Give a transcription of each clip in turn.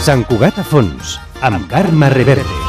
Sant Cugat a fons, amb Carme Reverte.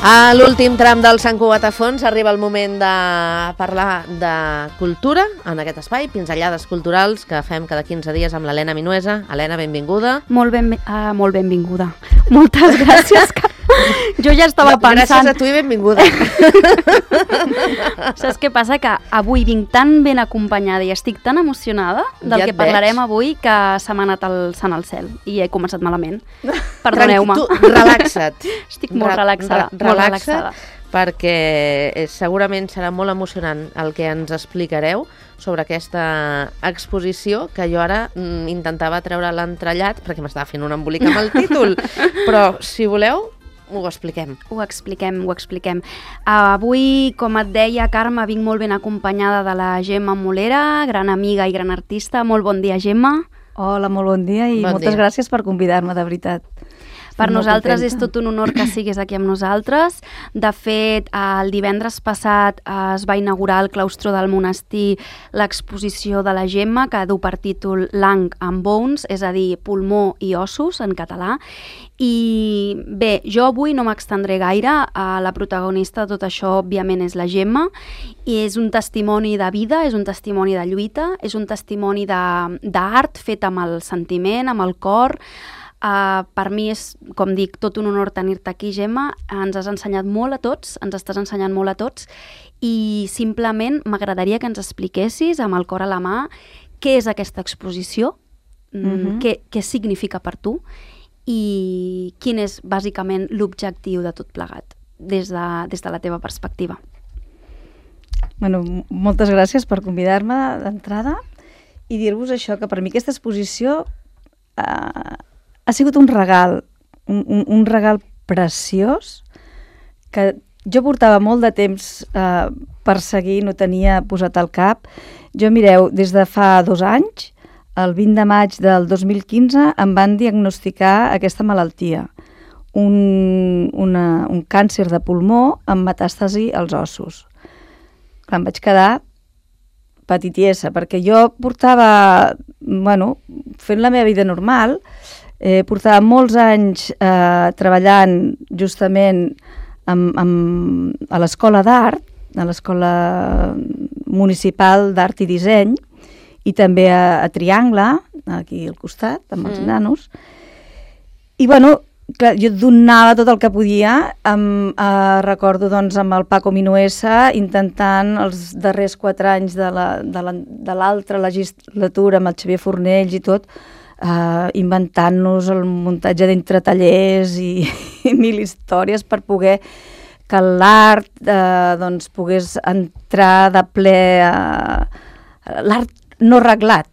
A l'últim tram del Sant Cugat a fons arriba el moment de parlar de cultura en aquest espai, pinzellades culturals que fem cada 15 dies amb l'Helena Minuesa. Helena, benvinguda. Molt benvinguda. Moltes gràcies. Jo ja estava pensant... Gràcies a tu i benvinguda. Saps què passa? Que avui vinc tan ben acompanyada i estic tan emocionada del que parlarem avui que se m'ha anat el sant al cel i he començat malament. Perdoneu-me. Tu, relaxa't. Estic molt relaxada. Relaxa't, perquè segurament serà molt emocionant el que ens explicareu sobre aquesta exposició que jo ara intentava treure l'entrellat perquè m'estava fent un embolic amb el títol. Però, si voleu, ho expliquem. Ho expliquem. Avui, com et deia, Carme, vinc molt ben acompanyada de la Gemma Molera, gran amiga i gran artista. Molt bon dia, Gemma. Hola, molt bon dia i moltes gràcies per convidar-me, de veritat. Per nosaltres és tot un honor que siguis aquí amb nosaltres. De fet, el divendres passat es va inaugurar al claustre del monestir l'exposició de la Gemma, que du per títol Lung and Bones, és a dir, pulmó i ossos en català. I bé, jo avui no m'extendré gaire. La protagonista de tot això, òbviament, és la Gemma, i és un testimoni de vida, és un testimoni de lluita, és un testimoni d'art fet amb el sentiment, amb el cor. Per mi és, com dic, tot un honor tenir-te aquí, Gemma. Ens has ensenyat molt a tots, ens estàs ensenyant molt a tots, i simplement m'agradaria que ens expliquessis amb el cor a la mà què és aquesta exposició, què significa per tu i quin és bàsicament l'objectiu de tot plegat des de la teva perspectiva. Bueno, moltes gràcies per convidar-me d'entrada i dir-vos això, que per mi aquesta exposició ha sigut un regal, un regal preciós que jo portava molt de temps perseguint, no tenia posat al cap. Jo, mireu, des de fa 2 anys, el 20 de maig del 2015, em van diagnosticar aquesta malaltia, un càncer de pulmó amb metàstasi als ossos. Clar, em vaig quedar petitiesa, perquè jo portava, fent la meva vida normal, portava molts anys treballant justament a l'Escola d'Art, a l'Escola Municipal d'Art i Disseny, i també a Triangle, aquí al costat, amb els nanos. I, clar, jo donava tot el que podia. Recordo, amb el Paco Minuesa, intentant els darrers 4 anys de l'altra legislatura, amb el Xavier Fornells i tot, inventant-nos el muntatge d'entretallers i 1000 històries per poder que l'art pogués entrar de ple l'art no reglat,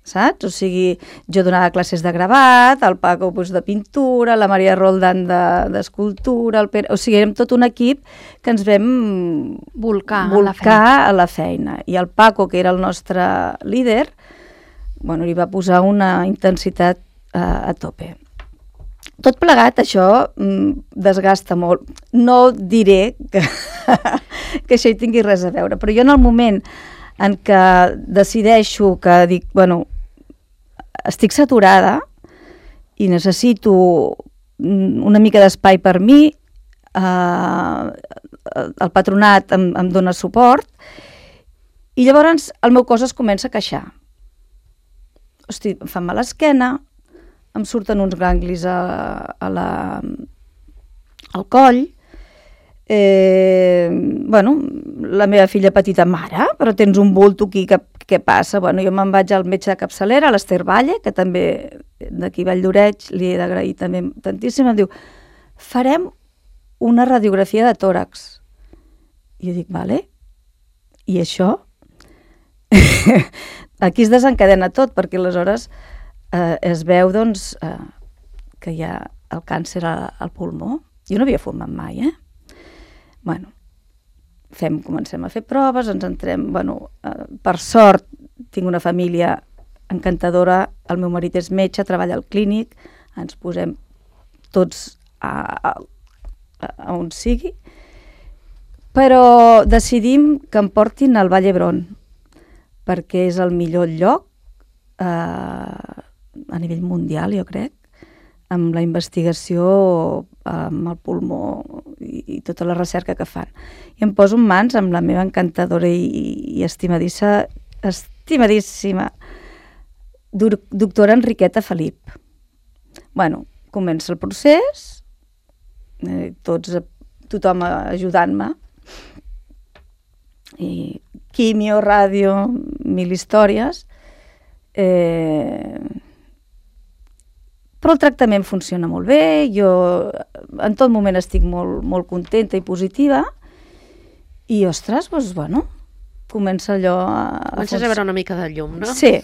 saps? O sigui, jo donava classes de gravat, el Paco de pintura, la Maria Roldán d'escultura, el Pere... O sigui, érem tot un equip que ens vam volcar a la feina. I el Paco, que era el nostre líder, li va posar una intensitat a tope. Tot plegat, això desgasta molt. No diré que això hi tingui res a veure, però jo en el moment en què decideixo que dic, estic saturada i necessito una mica d'espai per mi, el patronat em dona suport i llavors el meu cos es comença a queixar. Hosti, em fa mal l'esquena, em surten uns ganglis al coll, la meva filla petita, mare, però tens un bulto aquí, què passa? Jo me'n vaig al metge de capçalera, a l'Ester Valle, que també d'aquí Valldoreix, li he d'agrair també tantíssim, em diu, farem una radiografia de tòrax. I jo dic, vale. I això aquí es desencadena tot, perquè aleshores es veu doncs, que hi ha el càncer al pulmó. Jo no havia fumat mai, Bueno, comencem a fer proves, ens entrem... Bueno, per sort, tinc una família encantadora, el meu marit és metge, treballa al clínic, ens posem tots a on sigui, però decidim que em portin al Vall d'Hebron, perquè és el millor lloc a nivell mundial, jo crec, amb la investigació amb el pulmó i tota la recerca que fan. I em poso en mans amb la meva encantadora i estimadíssima doctora Enriqueta Felip. Bueno, comença el procés, tothom ajudant-me, i quimio, ràdio, 1000 històries, però el tractament funciona molt bé, jo en tot moment estic molt, molt contenta i positiva, i ostres, doncs, bueno, comença allò Comences a veure una mica de llum, no? Sí,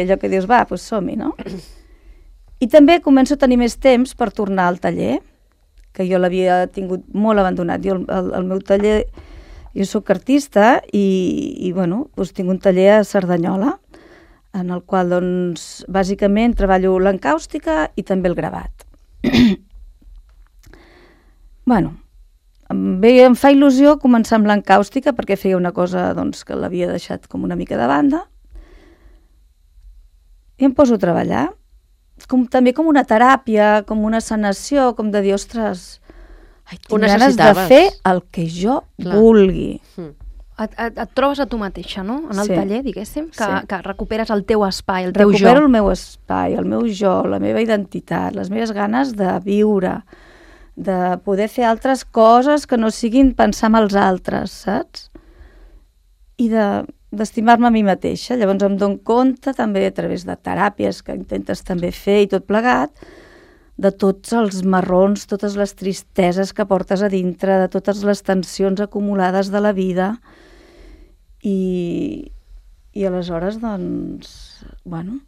allò que dius, va, doncs som-hi, no? I també començo a tenir més temps per tornar al taller, que jo l'havia tingut molt abandonat. Jo, el meu taller, jo soc artista i bueno, doncs tinc un taller a Cerdanyola, en el qual, doncs, bàsicament treballo l'encàustica i també el gravat. Bueno, em fa il·lusió començar amb l'encàustica perquè feia una cosa, doncs, que l'havia deixat com una mica de banda, i em poso a treballar, també com una teràpia, com una sanació, com de dir, ostres, tinc ganes de fer el que jo vulgui. Et trobes a tu mateixa, no? En el taller, diguéssim, que recuperes el teu espai, el teu jo. Recupero el meu espai, el meu jo, la meva identitat, les meves ganes de viure, de poder fer altres coses que no siguin pensar en els altres, saps? I d'estimar-me a mi mateixa. Llavors em dono compte també a través de teràpies que intentes també fer i tot plegat, de tots els marrons, totes les tristeses que portes a dintre, de totes les tensions acumulades de la vida. I aleshores, doncs, bueno,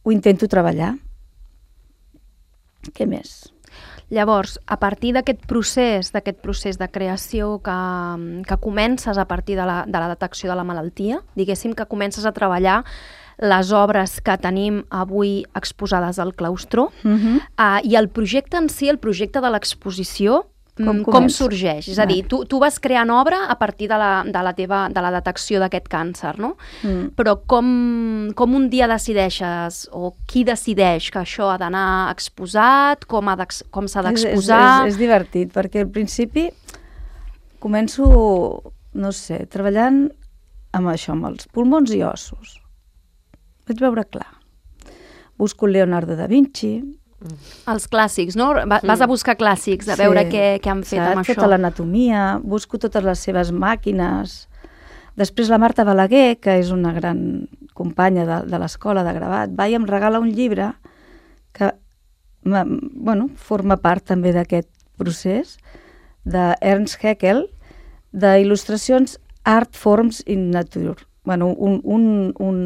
ho intento treballar. Què més? Llavors, a partir d'aquest procés de creació que comences a partir de la detecció de la malaltia, diguéssim que comences a treballar les obres que tenim avui exposades al claustró, i el projecte en si, el projecte de l'exposició, com sorgeix? És a dir, tu vas creant obra a partir de la detecció d'aquest càncer, no? Però com un dia decideixes, o qui decideix que això ha d'anar exposat, com s'ha d'exposar? És divertit, perquè al principi començo, no sé, treballant amb això, amb els pulmons i ossos. Vaig veure clar. Busco Leonardo da Vinci. Els clàssics, no? Vas a buscar clàssics, a veure què han fet amb això. Tota l'anatomia, busco totes les seves màquines. Després la Marta Balaguer, que és una gran companya de l'escola de gravat, va i em regala un llibre que forma part també d'aquest procés, d'Ernst Haeckel, d'il·lustracions Art Forms in Nature. Un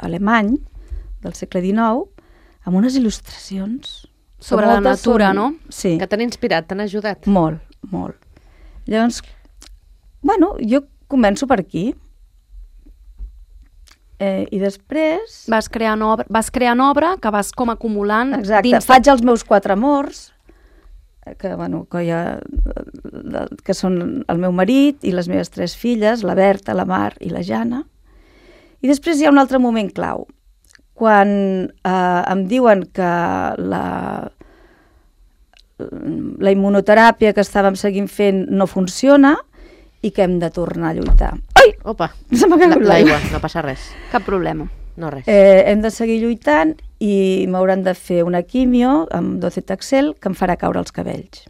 alemany del segle XIX, amb unes il·lustracions sobre la natura, no? Sí. Que t'han inspirat, t'han ajudat. Molt, molt. Llavors, jo començo per aquí. I després... Vas creant obra que vas com acumulant... Exacte. Faig els meus 4 amors, que són el meu marit i les meves 3 filles, la Berta, la Mar i la Jana. I després hi ha un altre moment clau. Quan em diuen que la immunoteràpia que estàvem seguint fent no funciona i que hem de tornar a lluitar. Ai! Opa, se m'ha caigut l'aigua, no passa res. Cap problema. No res. Hem de seguir lluitant i m'hauran de fer una quimio amb docetaxel que em farà caure els cabells.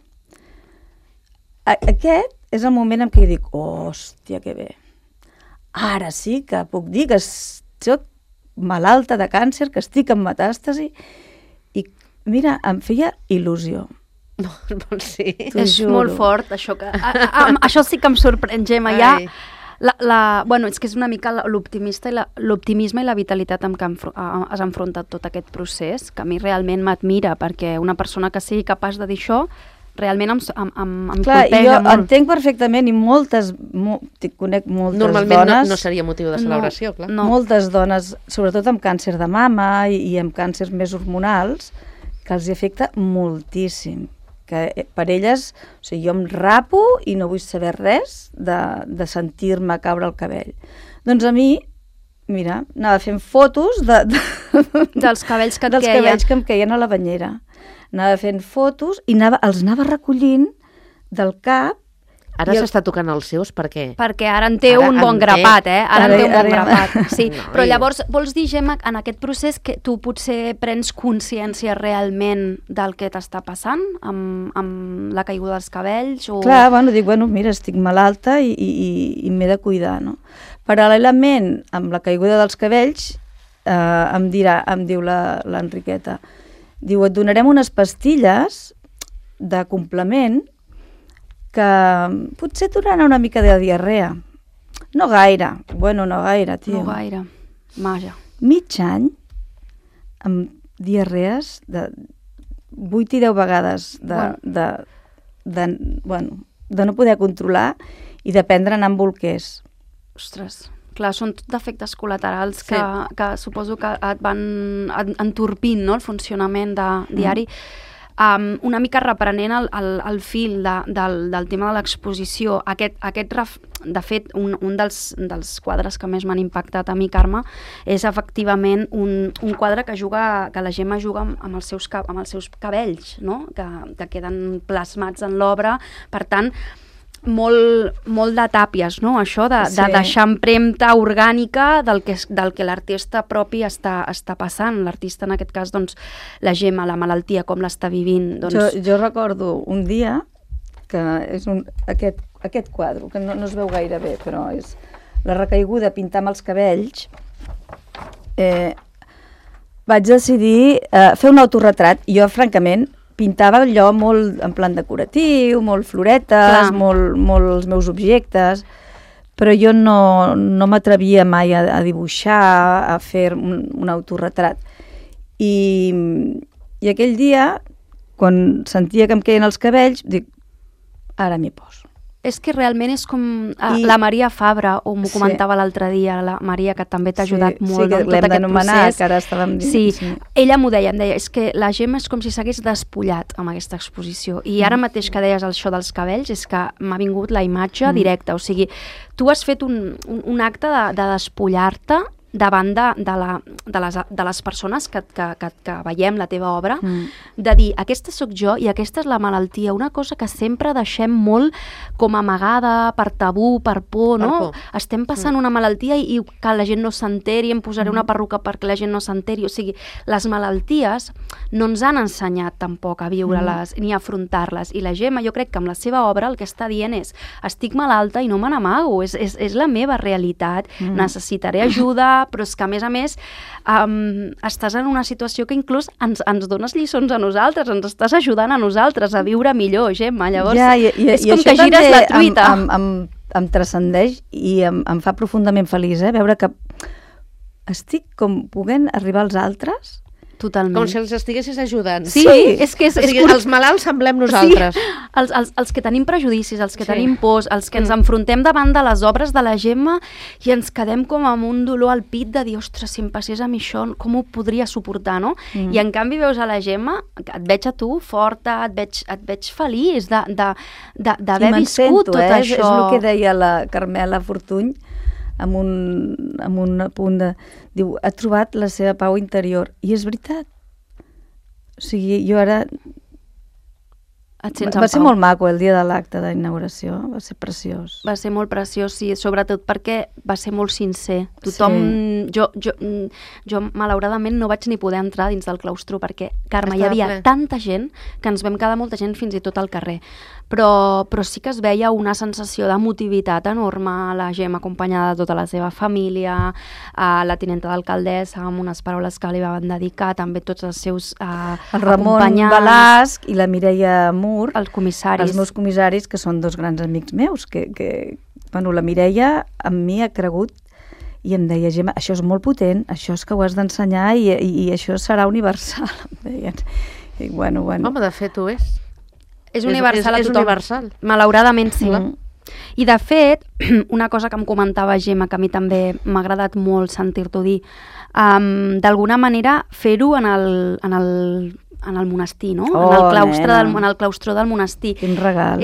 Aquest és el moment en què jo dic, hòstia, que bé. Ara sí que puc dir que soc malalta de càncer, que estic en metàstasi, i mira, em feia il·lusió. No, sí. T'ho És juro. molt fort, això que... Això sí que em sorprèn, Gemma. Ja, Ai. bueno, és que és una mica l'optimisme i la vitalitat amb què has enfrontat tot aquest procés, que a mi realment m'admira, perquè una persona que sigui capaç de dir això realment em Clar, colpeja jo molt. entenc perfectament i conec moltes Normalment dones... no seria motiu de celebració, clar. No. Moltes dones, sobretot amb càncer de mama i amb càncers més hormonals, que els hi afecta moltíssim. Que per elles, o sigui, jo em rapo i no vull saber res de sentir-me caure el cabell. Doncs a mi, mira, anava fent fotos Dels cabells que et dels queien. cabells que em queien a la banyera. Anava fent fotos i els anava recollint del cap. Ara I s'està tocant els seus, per què? Perquè ara en té Ara un en bon té. grapat, Ara en té un bon Ara ja- grapat. Sí, No, però i- llavors vols dir, Gemma, en aquest procés que tu potser prens consciència realment del que t'està passant amb la caiguda dels cabells? O... Clar, dic, mira, estic malalta i m'he de cuidar, no? Paral·lelament, amb la caiguda dels cabells, em diu l'Enriqueta, diu, et donarem unes pastilles de complement que potser et donaran una mica de diarrea. No gaire, no gaire, tio. No gaire. Maja. Mig any amb diarrees de 8 i 10 vegades de no poder controlar i de prendre anar amb bolquers. Ostres. Clar, són tot defectes col·laterals Sí. que suposo que et van entorpint, no?, el funcionament diari. Una mica reprenent el fil del tema de l'exposició. De fet, un dels quadres que més m'han impactat a mi, Carme, és efectivament un quadre que la Gemma juga amb els seus cabells, no?, que queden plasmats en l'obra. Per tant, molt de tàpies, no?, això de Sí. deixar empremta orgànica del que l'artista propi està passant. L'artista, en aquest cas, doncs, la Gemma, la malaltia, com l'està vivint. Doncs... Jo recordo un dia que és aquest quadre, que no es veu gaire bé, però és la recaiguda, pintar amb els cabells. Vaig decidir fer un autorretrat. Jo, francament, pintava allò molt en plan decoratiu, molt floretes, molt els meus objectes, però jo no m'atrevia mai a dibuixar, a fer un autorretrat. I aquell dia, quan sentia que em queien els cabells, dic, ara m'hi poso. És que realment és com la Maria Fabra, o m'ho comentava l'altre dia, la Maria, que també t'ha ajudat molt que en tot l'hem aquest d'anomenar, procés. que ara estàvem dient. Sí, ella m'ho deia, em deia, és que la Gemma és com si s'hagués despullat amb aquesta exposició. I ara mateix que deies això dels cabells, és que m'ha vingut la imatge directa. O sigui, tu has fet un acte de despullar-te davant de les persones que veiem la teva obra, de dir, aquesta sóc jo i aquesta és la malaltia, una cosa que sempre deixem molt com amagada, per tabú, per por, no? Estem passant una malaltia i que la gent no s'enteri, em posaré una perruca perquè la gent no s'enteri. O sigui, les malalties no ens han ensenyat tampoc a viure-les ni a afrontar-les. I la Gemma, jo crec que amb la seva obra el que està dient és, estic malalta i no me n'amago, és la meva realitat, necessitaré ajuda, però és que, a més, estàs en una situació que inclús ens dones lliçons a nosaltres, ens estàs ajudant a nosaltres a viure millor, Gemma. Llavors, és com que gires la truita. Em transcendeix i em fa profundament feliç, veure que estic com podent arribar als altres. Totalment. Com si els estiguessis ajudant. Sí, és que o sigui, els malalts semblem nosaltres. Sí, els que tenim prejudicis, els que tenim pors, els que ens enfrontem davant de les obres de la Gemma i ens quedem com amb un dolor al pit de dir, ostres, si em passés a mi això, com ho podria suportar, no? I en canvi veus a la Gemma, que et veig a tu forta, et veig feliç d'haver viscut tot això. És el que deia la Carmela Fortuny, amb un punt de... Diu, ha trobat la seva pau interior. I és veritat. O sigui, jo ara... Va ser molt maco el dia de l'acte d'inauguració, va ser preciós. Va ser molt preciós, sí, sobretot perquè va ser molt sincer. Tothom... Sí. Jo malauradament no vaig ni poder entrar dins del claustro perquè, Carme, hi havia tanta gent que ens vam quedar molta gent fins i tot al carrer. Però sí que es veia una sensació d'emotivitat enorme, la Gemma acompanyada de tota la seva família, la tinenta d'alcaldessa amb unes paraules que li van dedicar, també tots els seus el Ramon acompanyants. Balasc i la Mireia Munt, Mur, Els comissaris. els meus comissaris, que són dos grans amics meus, que bueno, la Mireia amb mi ha cregut i em deia, Gemma, això és molt potent, això és que ho has d'ensenyar i això serà universal, em deien. I bueno. Home, de fet ho és. És universal a és tothom. universal. Malauradament sí. Mm. I de fet, una cosa que em comentava Gemma, que a mi també m'ha agradat molt sentir-t'ho dir, d'alguna manera fer-ho en el monestir, no? Oh, en el claustre del monestir. Quin regal.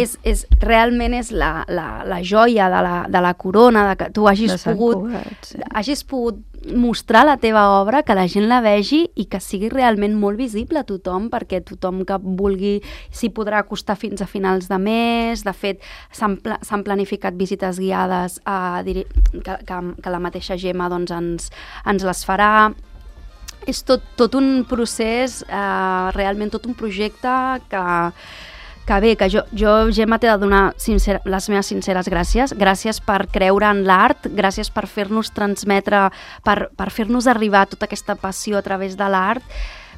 Realment és la joia de la corona, de que tu hagis De Sant pogut, Cugat, sí. hagis pogut mostrar la teva obra, que la gent la vegi i que sigui realment molt visible a tothom, perquè tothom que vulgui s'hi podrà acostar fins a finals de mes. De fet, s'han planificat visites guiades que la mateixa Gemma doncs, ens les farà. És tot un procés, realment tot un projecte que bé, que jo Gemma, t'he de donar les meves sinceres gràcies. Gràcies per creure en l'art, gràcies per fer-nos transmetre, per fer-nos arribar tota aquesta passió a través de l'art,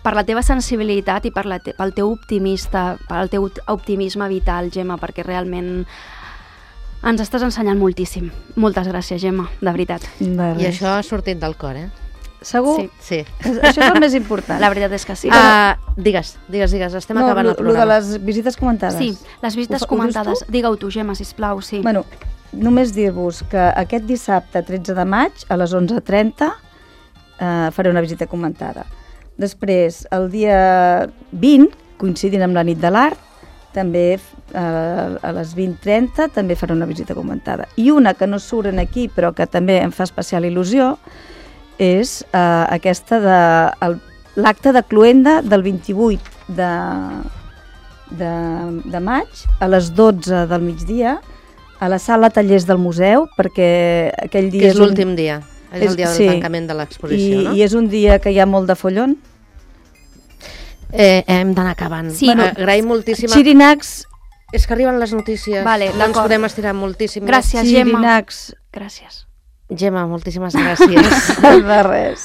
per la teva sensibilitat i pel teu optimisme vital, Gemma, perquè realment ens estàs ensenyant moltíssim. Moltes gràcies, Gemma, de veritat. I això ha sortit del cor, Segur? Sí. Això és el més important. La veritat és que sí. Digues, estem acabant el Lo programa. de les visites comentades. Sí, les visites Ho comentades. dius tu? Digue-ho tu, Gemma, sisplau, sí. Bueno, només dir-vos que aquest dissabte 13 de maig a les 11:30 faré una visita comentada. Després, el dia 20, coincidint amb la nit de l'art, també a les 20:30 també faré una visita comentada. I una que no surt aquí però que també em fa especial il·lusió és aquesta de l'acte de cloenda del 28 de maig a les 12 del migdia a la sala tallers del museu, perquè aquell dia Que és l'últim dia, és el dia del sí, tancament de l'exposició, no? I és un dia que hi ha molt de follon. Hem d'anar acabant. Sí, agraïm moltíssim. Xirinacs, És que arriben les notícies, Vale, no ens d'acord. podem estirar moltíssim. més. Gràcies, Gemma. xirinacs, Gràcies. Gemma, moltíssimes gràcies. de res.